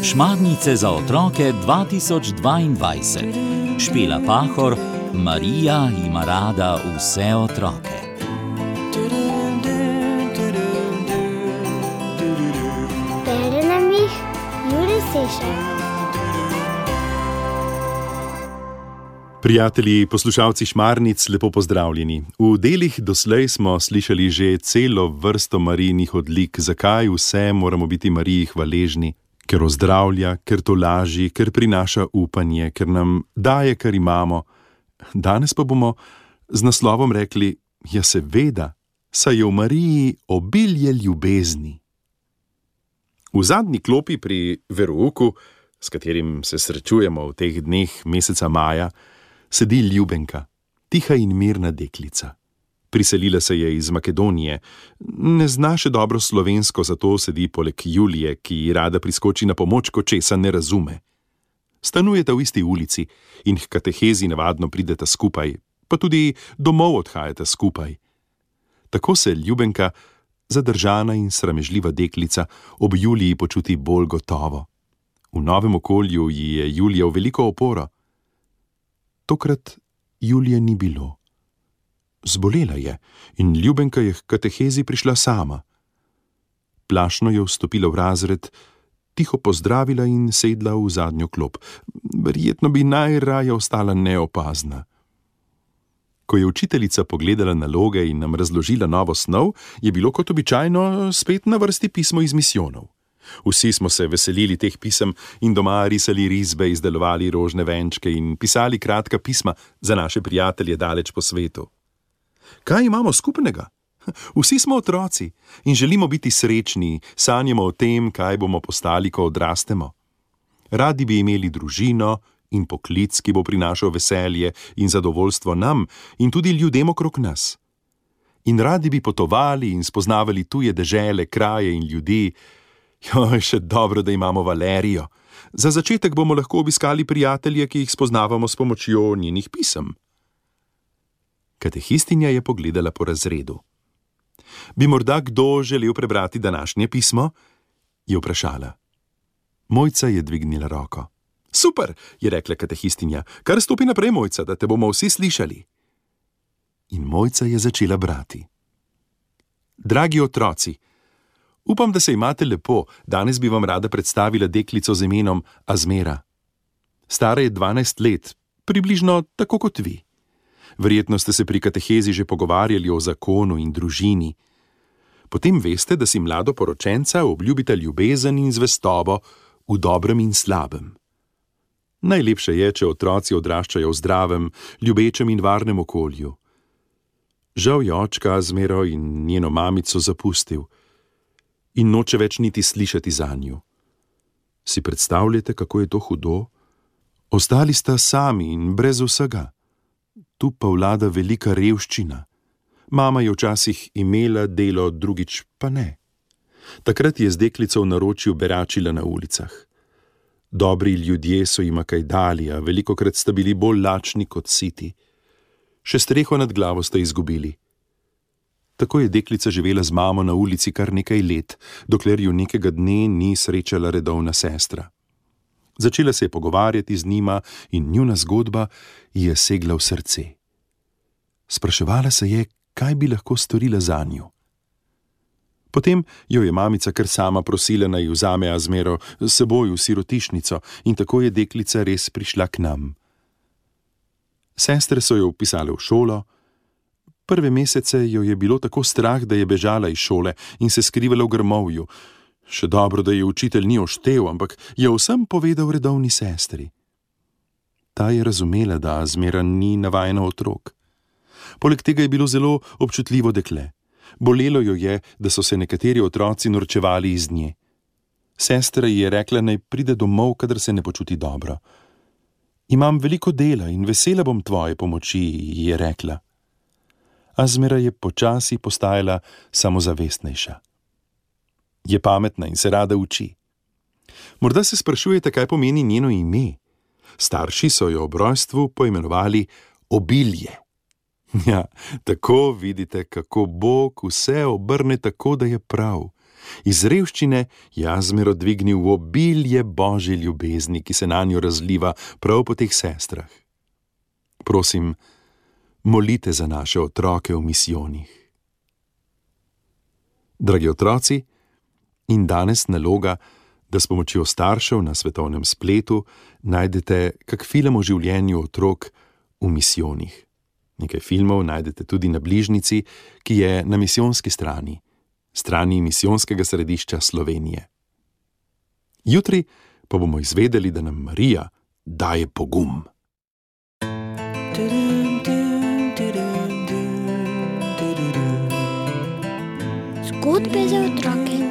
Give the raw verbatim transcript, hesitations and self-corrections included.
Šmarnice za otroke dva tisoč dvaindvajset. Špela Pahor, Marija ima rada vse otroke. Bere nam jih Jure Sešar. Prijatelji, poslušalci Šmarnic, lepo pozdravljeni. V delih doslej smo slišali že celo vrsto Marijinih odlik, zakaj vse moramo biti Mariji hvaležni. Ker ozdravlja, ker tolaži, ker prinaša upanje, ker nam daje, kar imamo. Danes pa bomo z naslovom rekli, ja seveda, saj je v Mariji obilje ljubezni. V zadnji klopi pri verouku, s katerim se srečujemo v teh dneh meseca maja, sedi Ljubenka, tiha in mirna deklica. Priselila se je iz Makedonije, ne zna še dobro slovensko, zato sedi poleg Julije, ki ji rada priskoči na pomoč, ko česa ne razume. Stanujeta v isti ulici in h katehezi navadno prideta skupaj, pa tudi domov odhajata skupaj. Tako se Ljubenka, zadržana in sramežljiva deklica, ob Juliji počuti bolj gotovo. V novem okolju ji je Julija v veliko oporo. Tokrat Julije ni bilo. Zbolela je in Ljubenka je k katehezi prišla sama. Plašno je vstopila v razred, tiho pozdravila in sedla v zadnjo klop. Verjetno bi najraje ostala neopazna. Ko je učiteljica pogledala naloge in nam razložila novo snov, je bilo kot običajno spet na vrsti pismo iz misijonov. Vsi smo se veselili teh pisem in doma risali risbe, izdelovali rožne venčke in pisali kratka pisma za naše prijatelje daleč po svetu. Kaj imamo skupnega? Vsi smo otroci in želimo biti srečni, sanjamo o tem, kaj bomo postali, ko odrastemo. Radi bi imeli družino in poklic, ki bo prinašal veselje in zadovoljstvo nam in tudi ljudem okrog nas. In radi bi potovali in spoznavali tuje dežele, kraje in ljudi. Joj, še dobro, da imamo Valerijo. Za začetek bomo lahko obiskali prijatelje, ki jih spoznavamo s pomočjo njenih pisem. Katehistinja je pogledala po razredu. Bi morda kdo želel prebrati današnje pismo? Je vprašala. Mojca je dvignila roko. Super, je rekla katehistinja. Kar stopi naprej, Mojca, da te bomo vsi slišali. In Mojca je začela brati. Dragi otroci, upam, da se imate lepo. Danes bi vam rada predstavila deklico z imenom Azmera. Stara je dvanajst let, približno tako kot vi. Verjetno ste se pri katehezi že pogovarjali o zakonu in družini. Potem veste, da si mladoporočenca obljubita ljubezen in zvestobo v dobrem in slabem. Najlepše je, če otroci odraščajo v zdravem, ljubečem in varnem okolju. Žal je očka Azmero in njeno mamico zapustil in noče več niti slišati zanju. Si predstavljate, kako je to hudo? Ostali sta sami in brez vsega. Tu pa vlada velika revščina. Mama je včasih imela delo, drugič pa ne. Takrat je z deklico v naročju beračila na ulicah. Dobri ljudje so jima kaj dali, a velikokrat sta bili bolj lačni kot siti. Še streho nad glavo sta izgubili. Tako je deklica živela z mamo na ulici kar nekaj let, dokler ju nekega dne ni srečala redovna sestra. Začela se je pogovarjati z njima in njuna zgodba ji je segla v srce. Spraševala se je, kaj bi lahko storila zanju. Potem jo je mamica kar sama prosila, naj vzame Azmero s seboj v sirotišnico in tako je deklica res prišla k nam. Sestre so jo vpisale v šolo. Prve mesece jo je bilo tako strah, da je bežala iz šole in se skrivala v grmovju. Še dobro, da je učitelj ni oštel, ampak je vsem povedal redovni sestri. Ta je razumela, da Azmera ni navajena otrok. Poleg tega je bilo zelo občutljivo dekle. Bolelo jo je, da so se nekateri otroci norčevali iz nje. Sestra ji je rekla, naj pride domov, kadar se ne počuti dobro. Imam veliko dela in vesela bom tvoje pomoči, ji je rekla. Azmera je počasi postajala samozavestnejša. Je pametna in se rada uči. Morda se sprašujete, kaj pomeni njeno ime. Starši so jo ob rojstvu poimenovali Obilje. Ja, tako vidite, kako Bog vse obrne tako, da je prav. Iz revščine je Azmero dvignil v obilje božje ljubezni, ki se nanjo razliva prav po teh sestrah. Prosim, molite za naše otroke v misijonih. Dragi otroci, in danes naloga, da s pomočjo staršev na svetovnem spletu najdete kak film o življenju otrok v misijonih. Nekaj filmov najdete tudi na bližnjici, ki je na misijonski strani, strani misijonskega središča Slovenije. Jutri pa bomo izvedeli, da nam Marija daje pogum. Zgodbe za otroke.